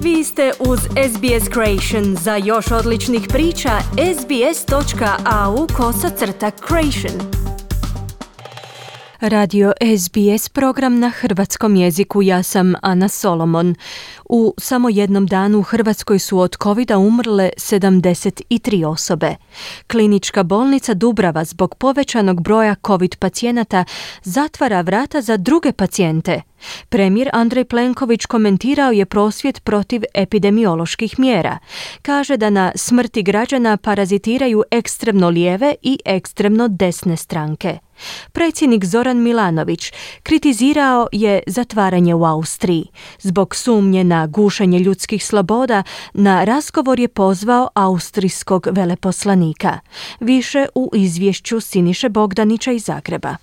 Vi ste uz SBS Creation. Za još odličnih priča, sbs.au/creation. Radio SBS, program na hrvatskom jeziku. Ja sam Ana Solomon. U samo jednom danu u Hrvatskoj su od covida umrle 73 osobe. Klinička bolnica Dubrava zbog povećanog broja covid pacijenata zatvara vrata za druge pacijente. Premijer Andrej Plenković komentirao je prosvjed protiv epidemioloških mjera. Kaže da na smrti građana parazitiraju ekstremno lijeve i ekstremno desne stranke. Predsjednik Zoran Milanović kritizirao je zatvaranje u Austriji. Zbog sumnje na gušenje ljudskih sloboda, na razgovor je pozvao austrijskog veleposlanika. Više u izvješću Siniše Bogdanića iz Zagreba.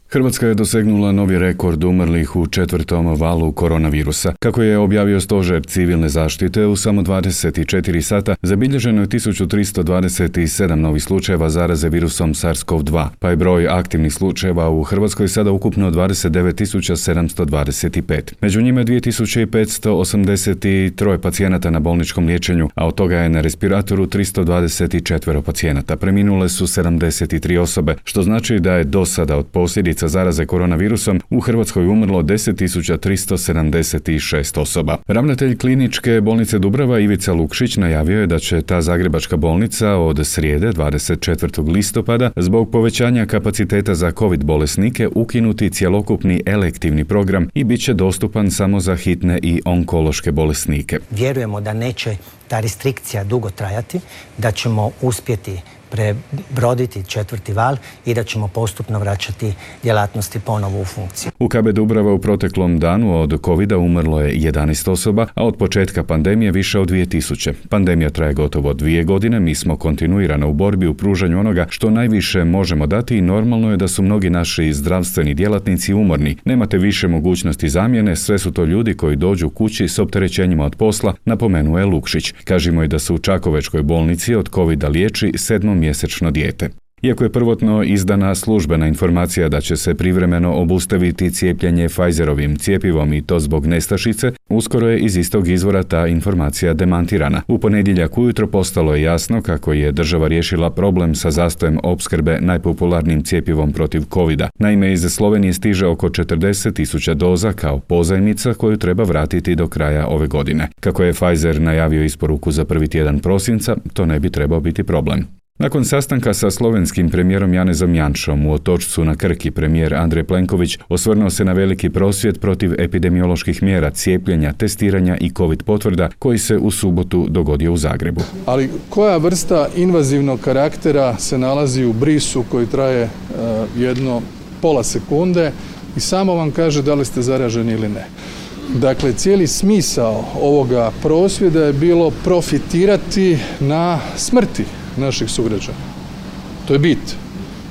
Hrvatska je dosegnula novi rekord umrlih u 4. valu koronavirusa. Kako je objavio Stožer civilne zaštite, u samo 24 sata zabilježeno je 1327 novih slučajeva zaraze virusom SARS-CoV-2, pa je broj aktivnih slučajeva u Hrvatskoj sada ukupno 29.725. Među njima je 2583 pacijenata na bolničkom liječenju, a od toga je na respiratoru 324 pacijenata. Preminule su 73 osobe, što znači da je do sada od posljedica zaraze koronavirusom u Hrvatskoj umrlo 10.376 osoba. Ravnatelj kliničke bolnice Dubrava Ivica Lukšić najavio je da će ta zagrebačka bolnica od srijede 24. listopada zbog povećanja kapaciteta za COVID bolesnike ukinuti cjelokupni elektivni program i bit će dostupan samo za hitne i onkološke bolesnike. Vjerujemo da neće ta restrikcija dugo trajati, da ćemo uspjeti prebroditi 4. val i da ćemo postupno vraćati djelatnosti ponovo u funkciju. U KB Dubrava u proteklom danu od covida umrlo je 11 osoba, a od početka pandemije više od 2000. Pandemija traje gotovo 2 godine, mi smo kontinuirano u borbi u pružanju onoga što najviše možemo dati i normalno je da su mnogi naši zdravstveni djelatnici umorni. Nemate više mogućnosti zamjene, sve su to ljudi koji dođu kući s opterećenjima od posla, napomenuo je Lukšić. Kažimo i da su u Čakovečkoj bolnici od covida liječi 7-mjesečno dijete. Iako je prvotno izdana službena informacija da će se privremeno obustaviti cijepljenje Pfizerovim cjepivom i to zbog nestašice, uskoro je iz istog izvora ta informacija demantirana. U ponedjeljak ujutro postalo je jasno kako je država riješila problem sa zastojem opskrbe najpopularnijim cjepivom protiv covida. Naime, iz Slovenije stiže oko 40.000 doza kao pozajmica koju treba vratiti do kraja ove godine. Kako je Pfizer najavio isporuku za prvi tjedan prosinca, to ne bi trebao biti problem. Nakon sastanka sa slovenskim premijerom Janezom Janšom u Otočcu na Krki, premijer Andrej Plenković osvrnuo se na veliki prosvjed protiv epidemioloških mjera cijepljenja, testiranja i covid potvrda koji se u subotu dogodio u Zagrebu. Ali koja vrsta invazivnog karaktera se nalazi u brisu koji traje jedno pola sekunde i samo vam kaže da li ste zaraženi ili ne. Dakle, cijeli smisao ovoga prosvjeda je bilo profitirati na smrti naših sugrađana. To je bit.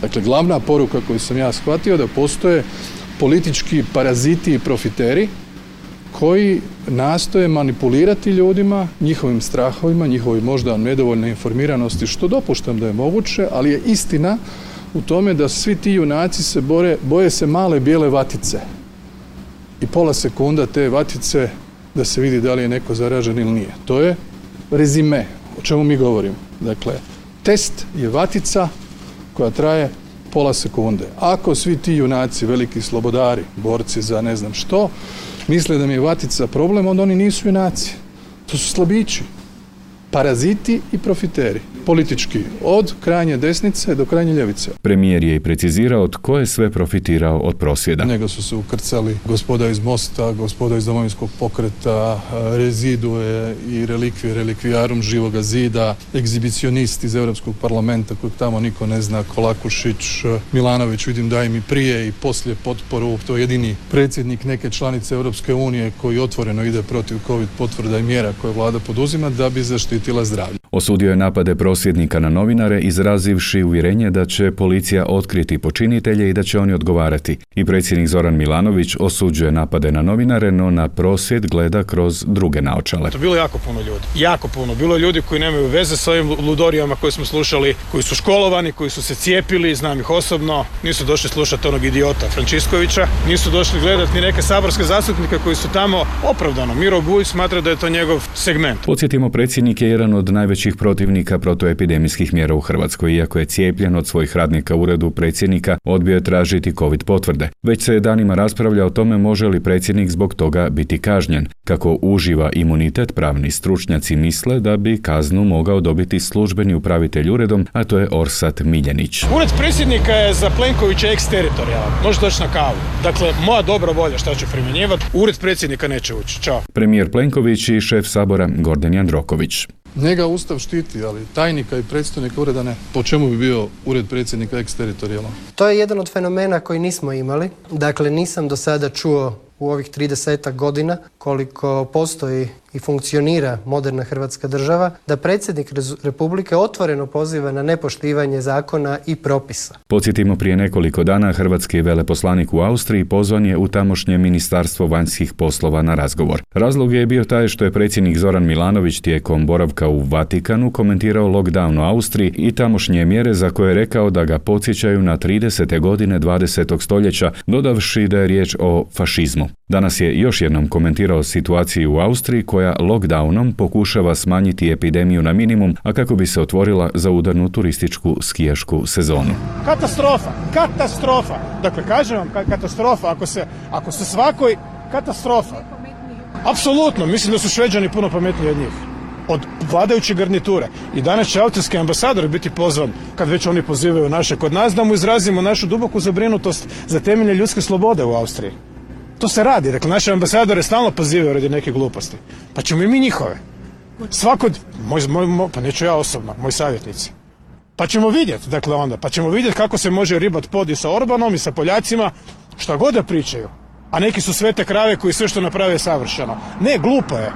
Dakle, glavna poruka koju sam ja shvatio da postoje politički paraziti i profiteri koji nastoje manipulirati ljudima, njihovim strahovima, njihovoj možda nedovoljne informiranosti, što dopuštam da je moguće, ali je istina u tome da svi ti junaci se boje se male bijele vatice. I pola sekunda te vatice da se vidi da li je neko zaražen ili nije. To je rezime o čemu mi govorimo. Dakle, test je vatica koja traje pola sekunde. Ako svi ti junaci, veliki slobodari, borci za ne znam što, misle da mi je vatica problem, onda oni nisu junaci. To su slabići, paraziti i profiteri. Politički, od krajnje desnice do krajnje ljevice. Premijer je i precizirao tko je sve profitirao od prosvjeda. Njega su se ukrcali gospoda iz Mosta, gospoda iz Domovinskog pokreta, rezidue i relikvijarum Živoga zida, egzibicionist iz Europskog parlamenta kojeg tamo niko ne zna, Kolakušić, Milanović, vidim da im i prije i poslije potporu, to je jedini predsjednik neke članice Europske unije koji otvoreno ide protiv covid potvrda i mjera koje vlada poduzima da bi zaštitila zdravlje. Osudio je napade prosvjednika na novinare, izrazivši uvjerenje da će policija otkriti počinitelje i da će oni odgovarati. I predsjednik Zoran Milanović osuđuje napade na novinare, no na prosvjed gleda kroz druge naočale. To bilo jako puno ljudi. Jako puno. Bilo je ljudi koji nemaju veze s ovim ludorijama koje smo slušali, koji su školovani, koji su se cijepili, znam ih osobno, nisu došli slušati onog idiota Frančiskovića, nisu došli gledati ni neke saborske zastupnike koji su tamo opravdano. Miro Bulj smatra da je to njegov segment. Podsjetimo, predsjednik je jedan od najvećih protivnika protuepidemijskih mjera u Hrvatskoj. Iako je cijepljen, od svojih radnika u uredu predsjednika odbio je tražiti COVID potvrde. Već se danima raspravlja o tome može li predsjednik zbog toga biti kažnjen. Kako uživa imunitet, pravni stručnjaci misle da bi kaznu mogao dobiti službeni upravitelj uredom, a to je Orsat Miljenić. Ured predsjednika je za Plenkovića eksteritorijalan. Može doći na kavu. Dakle, moja dobra volja šta ću primjenjivati, ured predsjednika neće ući. Ćao. Premijer Plenković i šef Sabora Gordan Jandroković. Njega Ustav štiti, ali tajnika i predstojnika ureda ne. Po čemu bi bio ured predsjednika eksteritorijalan? To je jedan od fenomena koji nismo imali. Dakle, nisam do sada čuo u ovih 30 godina koliko postoji i funkcionira moderna Hrvatska država, da predsjednik Republike otvoreno poziva na nepoštivanje zakona i propisa. Podsjetimo, prije nekoliko dana hrvatski veleposlanik u Austriji pozvan je u tamošnje Ministarstvo vanjskih poslova na razgovor. Razlog je bio taj što je predsjednik Zoran Milanović tijekom boravka u Vatikanu komentirao lockdown u Austriji i tamošnje mjere za koje je rekao da ga podsjećaju na 30. godine 20. stoljeća, dodavši da je riječ o fašizmu. Danas je još jednom komentirao situaciju u Austriji koja lockdownom pokušava smanjiti epidemiju na minimum, a kako bi se otvorila za udarnu turističku skijašku sezonu. Katastrofa. Dakle, kažem vam, katastrofa. Ako se svakoj katastrofa. Apsolutno, mislim da su Šveđani puno pametniji od njih. Od vladajuće garniture. I danas će austrijski ambasador biti pozvan, kad već oni pozivaju naše kod nas, da mu izrazimo našu duboku zabrinutost za temelje ljudske slobode u Austriji. To se radi. Dakle, naše ambasadore stalno pozivaju radi neke gluposti. Pa ćemo i mi njihove. Pa neću ja osobno, moji savjetnici. Pa ćemo vidjeti, dakle onda, pa ćemo vidjeti kako se može ribat pod i sa Orbanom i sa Poljacima, šta god da pričaju. A neki su svete krave koji sve što naprave je savršeno. Ne, glupo je.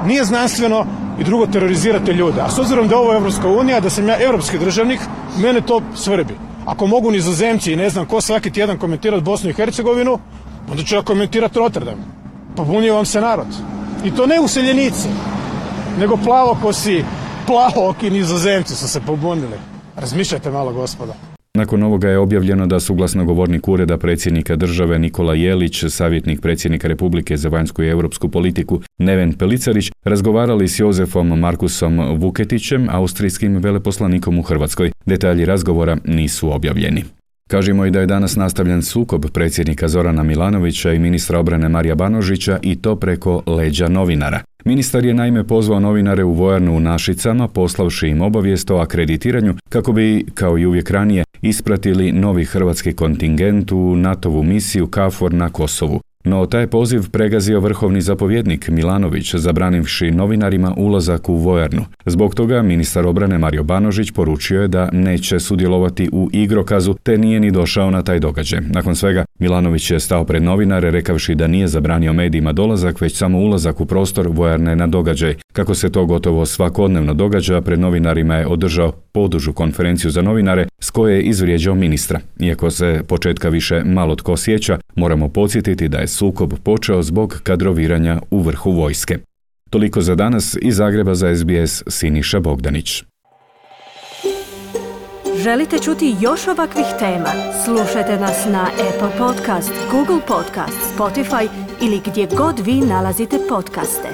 Nije znanstveno i drugo terorizirate ljude. A s obzirom da je ovo Evropska unija, da sam ja europski državnik, mene to svrbi. Ako mogu Nizozemci i ne znam ko svaki tjedan komentirati Bosnu i Hercegovinu, onda ću ja komentirati Rotterdam. Pobunio vam se narod. I to ne useljenici, nego plavooki Nizozemci su se pobunili. Razmišljajte malo, gospodo. Nakon ovoga je objavljeno da su glasnogovornik ureda predsjednika države Nikola Jelić, savjetnik predsjednika Republike za vanjsku i europsku politiku Neven Pelicarić razgovarali s Jozefom Markusom Vuketićem, austrijskim veleposlanikom u Hrvatskoj. Detalji razgovora nisu objavljeni. Kažemo i da je danas nastavljen sukob predsjednika Zorana Milanovića i ministra obrane Marija Banožića, i to preko leđa novinara. Ministar je naime pozvao novinare u vojarnu u Našicama, poslavši im obavijest o akreditiranju kako bi, kao i uvijek ranije, ispratili novi hrvatski kontingent u NATO-vu misiju KFOR na Kosovu. No taj poziv pregazio vrhovni zapovjednik Milanović, zabranivši novinarima ulazak u vojarnu. Zbog toga ministar obrane Mario Banožić poručio je da neće sudjelovati u igrokazu, te nije ni došao na taj događaj. Nakon svega, Milanović je stao pred novinare rekavši da nije zabranio medijima dolazak, već samo ulazak u prostor vojarne na događaj. Kako se to gotovo svakodnevno događa, pred novinarima je održao podužu konferenciju za novinare s koje je izvrijeđao ministra. Iako se početka više malo tko sjeća, moramo podsjetiti da je sukob počeo zbog kadroviranja u vrhu vojske. Toliko za danas. Iz Zagreba za SBS Siniša Bogdanić. Želite čuti još ovakvih tema? Slušajte nas na Apple Podcast, Google Podcast, Spotify ili gdje god vi nalazite podcaste.